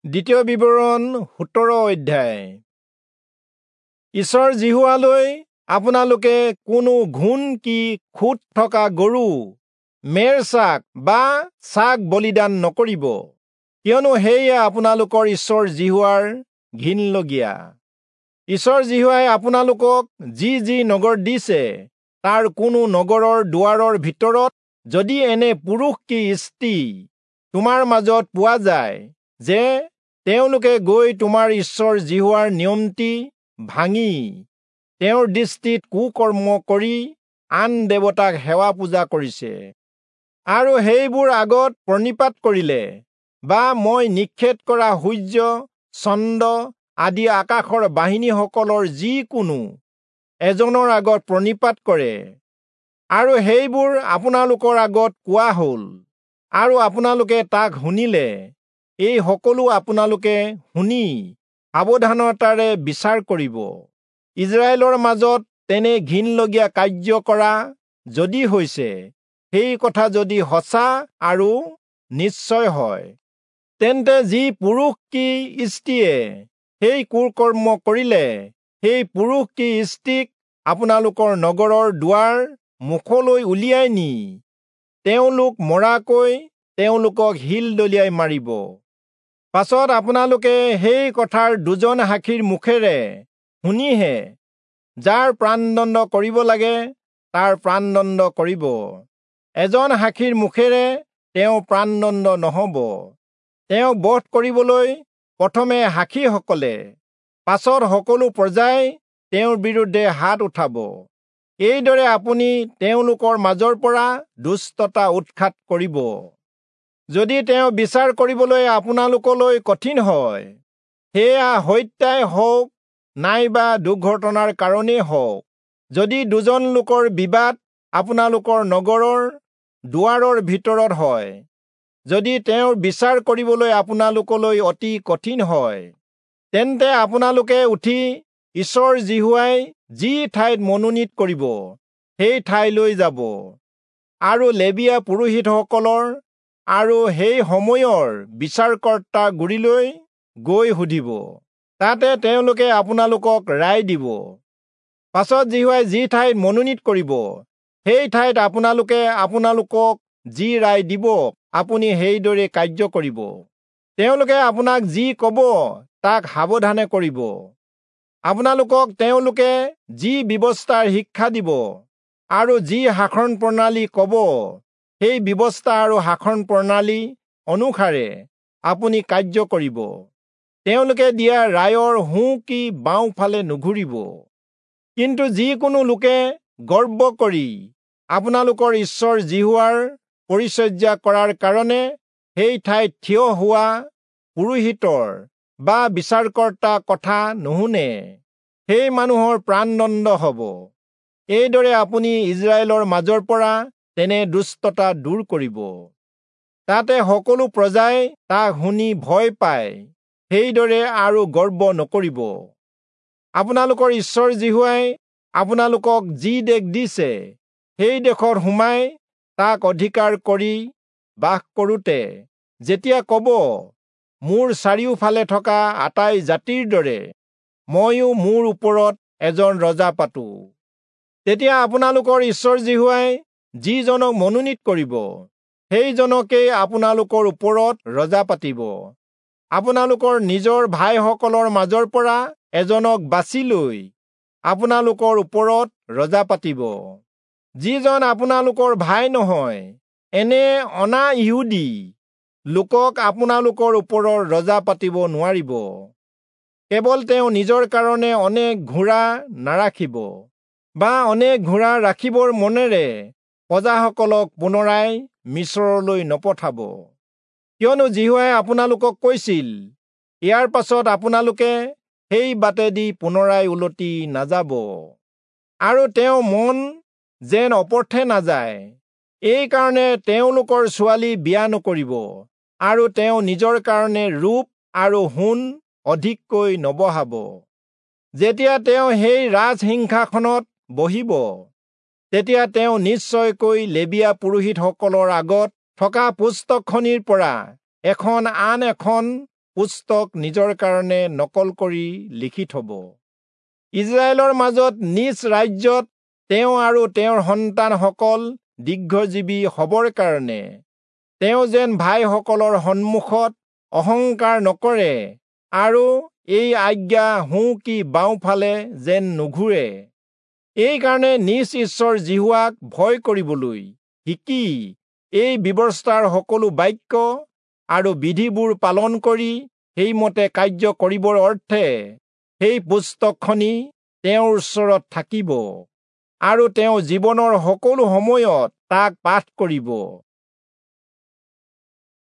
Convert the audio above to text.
দ্বিতীয় বিৱৰণ 17 অধ্যায়। ঈশ্বৰ যিহোৱালৈ আপোনালোকে কোনো ঘূণ কি খুঁত থকা গৰু, মেৰ ছাগ বা ছাগ বলিদান নকৰিব, কিয়নো সেয়া আপোনালোকৰ ঈশ্বৰ যিহোৱাৰ ঘিণলগীয়া। ঈশ্বৰ যিহোৱাই আপোনালোকক যি যি নগৰ দিছে, তাৰ কোনো নগৰৰ দুৱাৰৰ ভিতৰত যদি এনে পুৰুষ কি স্ত্ৰী তোমাৰ মাজত পোৱা যায় যে তেওঁলোকে গৈ তোমাৰ ঈশ্বৰ যিহোৱাৰ নিয়মটি ভাঙি তেওঁৰ দৃষ্টিত কুকৰ্ম কৰি আন দেৱতাক সেৱা পূজা কৰিছে আৰু সেইবোৰ আগত প্ৰণিপাত কৰিলে বা মই নিষেধ কৰা সূৰ্য, চন্দ্ৰ আদি আকাশৰ বাহিনীসকলৰ যিকোনো এজনৰ আগত প্ৰণিপাত কৰে আৰু সেইবোৰ আপোনালোকৰ আগত কোৱা হ'ল আৰু আপোনালোকে তাক শুনিলে, এই সকলো আপোনালোকে শুনি সাৱধানতাৰে বিচাৰ কৰিব। ইজৰাইলৰ মাজত তেনে ঘিণলগীয়া কাৰ্য কৰা যদি হৈছে, সেই কথা যদি সঁচা আৰু নিশ্চয় হয়, তেন্তে যি পুৰুষ কি স্ত্ৰীয়ে সেই কুকৰ্ম কৰিলে, সেই পুৰুষ কি স্ত্ৰীক আপোনালোকৰ নগৰৰ দুৱাৰ মুখলৈ উলিয়াই নি তেওঁলোক মৰাকৈ তেওঁলোকক শিল দলিয়াই মাৰিব। পাছত আপোনালোকে সেই কথাৰ দুজন সাক্ষীৰ মুখেৰে শুনিহে যাৰ প্ৰাণদণ্ড কৰিব লাগে তাৰ প্ৰাণদণ্ড কৰিব। এজন সাক্ষীৰ মুখেৰে তেওঁ প্ৰাণদণ্ড নহব। তেওঁক বধ কৰিবলৈ প্ৰথমে সাক্ষীসকলে, পাছত সকলো প্ৰজাই তেওঁৰ বিৰুদ্ধে হাত উঠাব। এইদৰে আপুনি তেওঁলোকৰ মাজৰ পৰা দুষ্টতা উৎখাত কৰিব। যদি তেওঁ বিচাৰ কৰিবলৈ আপোনালোকলৈ কঠিন হয়, সেয়া হত্যাই হওক নাইবা দুৰ্ঘটনাৰ কাৰণেই হওক, যদি দুজন লোকৰ বিবাদ আপোনালোকৰ নগৰৰ দুৱাৰৰ ভিতৰত হয়, যদি তেওঁৰ বিচাৰ কৰিবলৈ আপোনালোকলৈ অতি কঠিন হয়, তেন্তে আপোনালোকে উঠি ঈশ্বৰ যিহোৱাই যি ঠাইত মনোনীত কৰিব সেই ঠাইলৈ যাব আৰু লেবীয়া পুৰোহিতসকলৰ আৰু সেই সময়ৰ বিচাৰকৰ্তা গুৰিলৈ গৈ সুধিব। তাতে তেওঁলোকে আপোনালোকক ৰায় দিব। পাছত যিহোৱাই যি ঠাইত মনোনীত কৰিব সেই ঠাইত আপোনালোকে আপোনালোকক যি ৰায় দিব আপুনি সেইদৰে কাৰ্য কৰিব। তেওঁলোকে আপোনাক যি কব তাক সাৱধানে কৰিব। আপোনালোকক তেওঁলোকে যি ব্যৱস্থাৰ শিক্ষা দিব আৰু যি শাসন প্ৰণালী কব সেই ব্যৱস্থা আৰু শাসন প্ৰণালী অনুসাৰে আপুনি কাৰ্য কৰিব। তেওঁলোকে দিয়া ৰায়ৰ সোঁ কি বাওঁফালে নুঘূৰিব। কিন্তু যিকোনো লোকে গৰ্ব কৰি আপোনালোকৰ ঈশ্বৰ যিহোৱাৰ পৰিচৰ্যা কৰাৰ কাৰণে সেই ঠাইত থিয় হোৱা পুৰোহিতৰ বা বিচাৰকৰ্তা কথা নুশুনে, সেই মানুহৰ প্ৰাণদণ্ড হব। এইদৰে আপুনি ইজৰাইলৰ মাজৰ পৰা তেনে দুষ্টতা দূৰ কৰিব। তাতে সকলো প্ৰজাই তাক শুনি ভয় পায়, সেইদৰে আৰু গৰ্ব নকৰিব। আপোনালোকৰ ঈশ্বৰ যিহোৱাই আপোনালোকক যি দেশ দিছে সেই দেশত সোমাই তাক অধিকাৰ কৰি বাস কৰোঁতে যেতিয়া কব, মোৰ চাৰিওফালে থকা আটাই জাতিৰ দৰে ময়ো মোৰ ওপৰত এজন ৰজা পাতো, তেতিয়া আপোনালোকৰ ঈশ্বৰ যিহোৱাই যিজনক মনোনীত কৰিব সেইজনকেই আপোনালোকৰ ওপৰত ৰজা পাতিব। আপোনালোকৰ নিজৰ ভাইসকলৰ মাজৰ পৰা এজনক বাছি লৈ আপোনালোকৰ ওপৰত ৰজা পাতিব। যিজন আপোনালোকৰ ভাই নহয়, এনে অনা ইহুদী লোকক আপোনালোকৰ ওপৰৰ ৰজা পাতিব নোৱাৰিব। কেৱল তেওঁ নিজৰ কাৰণে অনেক ঘোঁৰা নাৰাখিব বা অনেক ঘোঁৰা ৰাখিবৰ মনেৰে প্ৰজাসকলক পুনৰাই মিচৰলৈ নপঠাব। কিয়নো যিহোৱাই আপোনালোকক কৈছিল, ইয়াৰ পাছত আপোনালোকে সেই বাটেদি পুনৰাই উলটি নাযাব আৰু তেওঁ মন যেন অপৰ্থে নাযায়, এইকাৰণে তেওঁলোকৰ ছোৱালী বিয়া নকৰিব আৰু তেওঁ নিজৰ কাৰণে ৰূপ আৰু সোণ অধিককৈ নবঢ়াব। যেতিয়া তেওঁ সেই ৰাজসিংহাসনত বহিব, তেতিয়া তেওঁ নিশ্চয়কৈ লেবীয়া পুৰোহিতসকলৰ আগত থকা পুস্তকখনিৰ পৰা এখন আন এখন পুস্তক নিজৰ কাৰণে নকল কৰি লিখি থব। ইজৰাইলৰ মাজত নিজ ৰাজ্যত তেওঁ আৰু তেওঁৰ সন্তানসকল দীৰ্ঘজীৱী হবৰ কাৰণে তেওঁ যেন ভাইসকলৰ সন্মুখত অহংকাৰ নকৰে আৰু এই আজ্ঞা সোঁ কি বাওঁফালে যেন নুঘূৰে। এইকাৰণে নিজ ঈশ্বৰ যিহোৱাক ভয় কৰিবলৈ শিকি এই ব্যৱস্থাৰ সকলো বাক্য আৰু বিধিবোৰ পালন কৰি সেইমতে কাৰ্য কৰিবৰ অৰ্থে সেই পুস্তকখনি তেওঁৰ ওচৰত থাকিব আৰু তেওঁ জীৱনৰ সকলো সময়ত তাক পাঠ কৰিব।